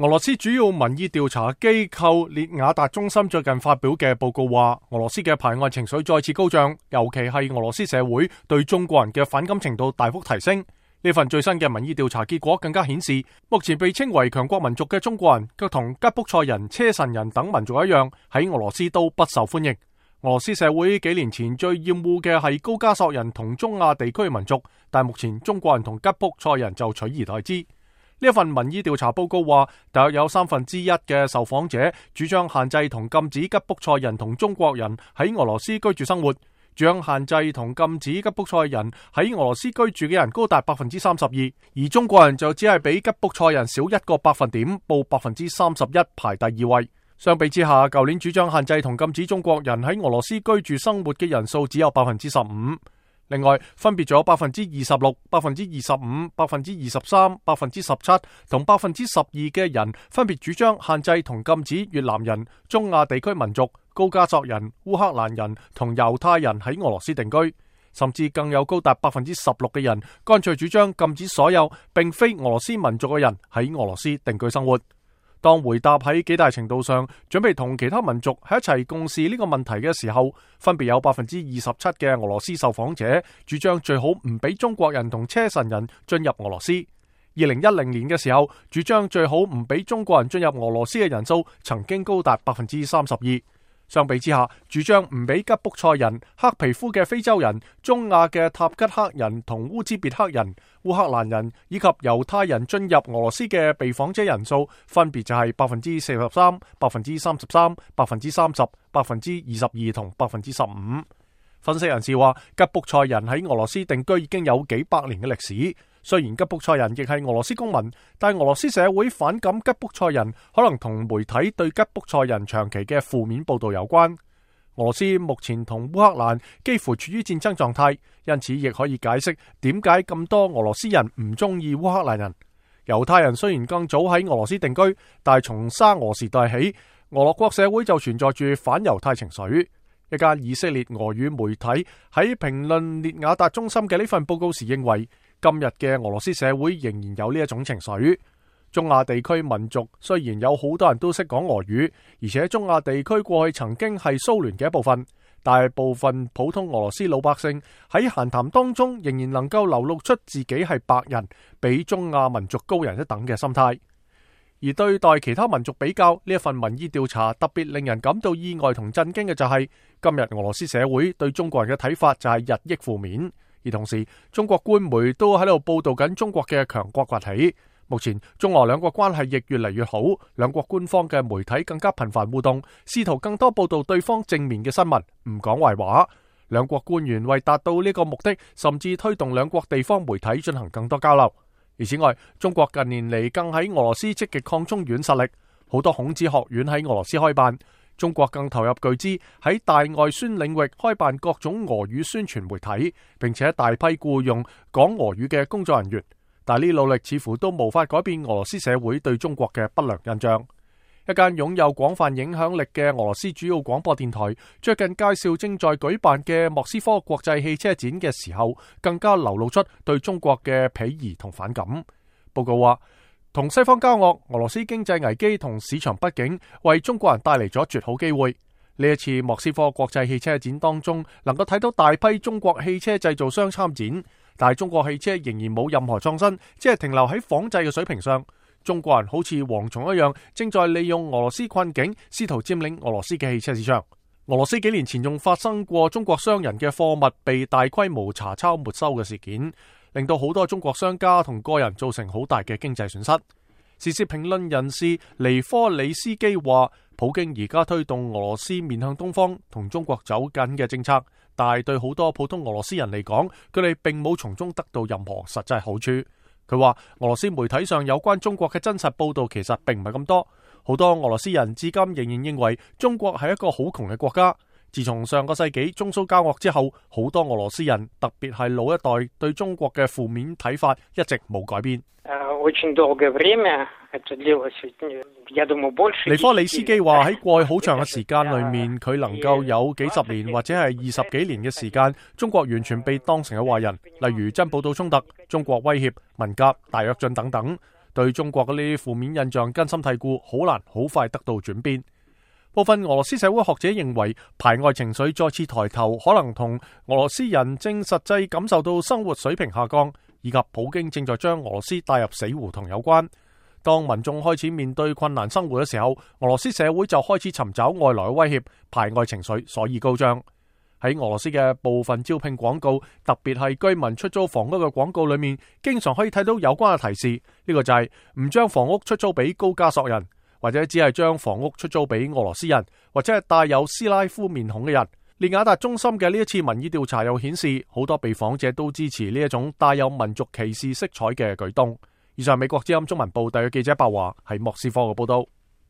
俄羅斯主要民意調查機構列雅達中心最近發表嘅報告話，俄羅斯嘅排外情緒再次高漲，尤其係俄羅斯社會對中國人嘅反感程度大幅提升。呢份最新嘅民意調查結果更加顯示，目前被稱為強國民族嘅中國人，卻同吉卜賽人、車臣人等民族一樣，喺俄羅斯都不受歡迎。俄羅斯社會幾年前最厭惡嘅係高加索人同中亞地區民族，但目前中國人同吉卜賽人就取而代之。呢一份民意調查報告話，大約有1/3嘅受訪者主張限制同禁止吉卜賽人同中國人喺俄羅斯居住生活，主張限制同禁止吉卜賽人喺俄羅斯居住嘅人高達32%，而中國人就只係比吉卜賽人少1個百分點，報31%，排第2位。相比之下，舊年主張限制同禁止中國人喺俄羅斯居住生活嘅人數只有15%。另外，分別咗26%、25%、23%、17%同12%嘅人分別主張限制同禁止越南人、中亞地區民族、高加索人、烏克蘭人同猶太人喺俄羅斯定居，甚至更有高達16%嘅人乾脆主張禁止所有並非俄羅斯民族嘅人喺俄羅斯定居生活。當回答喺幾大程度上準備同其他民族喺一齊共事呢個問題嘅時候，分別有27%嘅俄羅斯受訪者主張最好唔俾中國人同車臣人進入俄羅斯。2010年嘅時候，主張最好唔俾中國人進入俄羅斯嘅人數曾經高達32%。相比之下，主張唔俾吉卜賽人、黑皮膚嘅非洲人、中亞嘅塔吉克人同烏茲別克人、烏克蘭人以及猶太人進入俄羅斯嘅被訪者人數分別就係43%、33%、30%、22%同15%。分析人士話，吉卜賽人喺俄羅斯定居已經有幾百年嘅歷史。雖然吉卜賽人亦係俄羅斯公民，但俄羅斯社會反感吉卜賽人，可能同媒體對吉卜賽人長期嘅負面報道有關。俄羅斯目前同烏克蘭幾乎處於戰爭狀態，因此亦可以解釋點解咁多俄羅斯人唔中意烏克蘭人。猶太人雖然更早喺俄羅斯定居，但係從沙俄時代起，俄羅國社會就存在住反猶太情緒。一間以色列俄語媒體喺評論列雅達中心嘅呢份報告時認為，今日嘅俄羅斯社會仍然有呢一種情緒。中亞地區民族雖然有好多人都識講俄語，而且中亞地區過去曾經係蘇聯嘅一部分，但係部分普通俄羅斯老百姓喺閒談當中仍然能夠流露出自己係白人，比中亞民族高人一等嘅心態。而對待其他民族比較，呢一份民意調查特別令人感到意外同震驚嘅就係，今日俄羅斯社會對中國人嘅睇法就係日益負面。而同時，中國官媒都喺度報道緊中國嘅強國崛起。目前中俄兩國關係亦越嚟越好，兩國官方嘅媒體更加頻繁互動，試圖更多報道對方正面嘅新聞，唔講壞話。兩國官員為達到呢個目的，甚至推動兩國地方媒體進行更多交流。而此外，中國近年嚟更喺俄羅斯積極擴充軟實力，好多孔子學院喺俄羅斯開辦。中國更投入巨資喺大外宣領域開辦各種俄語宣傳媒體，並且大批僱用講俄語嘅工作人員。但呢努力似乎都無法改變俄羅斯社會對中國嘅不良印象。一間擁有廣泛影響力嘅俄羅斯主要廣播電台最近介紹正在舉辦嘅莫斯科國際汽車展嘅時候，更加流露出對中國嘅鄙夷同反感。報告話，同西方交惡，俄羅斯經濟危機同市場不景為中國人帶嚟咗絕好機會。呢一次莫斯科國際汽車展當中，能夠睇到大批中國汽車製造商參展，但係中國汽車仍然冇任何創新，只係停留喺仿製嘅水平上。中國人好似蝗蟲一樣，正在利用俄羅斯困境，試圖佔領俄羅斯嘅汽車市場。俄羅斯幾年前仲發生過中國商人嘅貨物被大規模查抄沒收嘅事件，令到好多中國商家同個人造成好大嘅經濟損失。時事評論人士尼科里斯基話，普京而家推動俄羅斯面向東方同中國走緊嘅政策，但係對好多普通俄羅斯人嚟講，佢哋並冇從中得到任何實際好處。佢話俄羅斯媒體上有關中國嘅真實報道其實並唔係咁多，好多俄羅斯人至今仍然認為中國係一個好窮嘅國家。自從上個世紀中蘇交惡之後，好多俄羅斯人，特別係老一代，對中國嘅負面睇法一直冇改變。尼科里斯基話喺過去好長嘅時間裏面，佢能夠有幾十年或者係20幾年嘅時間，中國完全被當成係壞人，例如珍寶島衝突、中國威脅、文革、大躍進等等。對中國嗰啲負面印象根深蒂固，好難好快得到轉變。部分俄羅斯社會學者認為，排外情緒再次抬頭，可能同俄羅斯人正實際感受到生活水平下降，以及普京正在將俄羅斯帶入死胡同有關。當民眾開始面對困難生活嘅時候，俄羅斯社會就開始尋找外來嘅威脅，排外情緒所以高漲。喺俄羅斯嘅部分招聘廣告，特別係居民出租房屋嘅廣告裏面，經常可以睇到有關嘅提示。呢個就係唔將房屋出租俾高加索人，或者只係將房屋出租俾俄羅斯人，或者係帶有斯拉夫面孔嘅人。列雅達中心嘅呢一次民意調查又顯示，好多被訪者都支持呢一種帶有民族歧視色彩嘅舉動。以上美國之音中文部特約記者白華喺莫斯科嘅報道。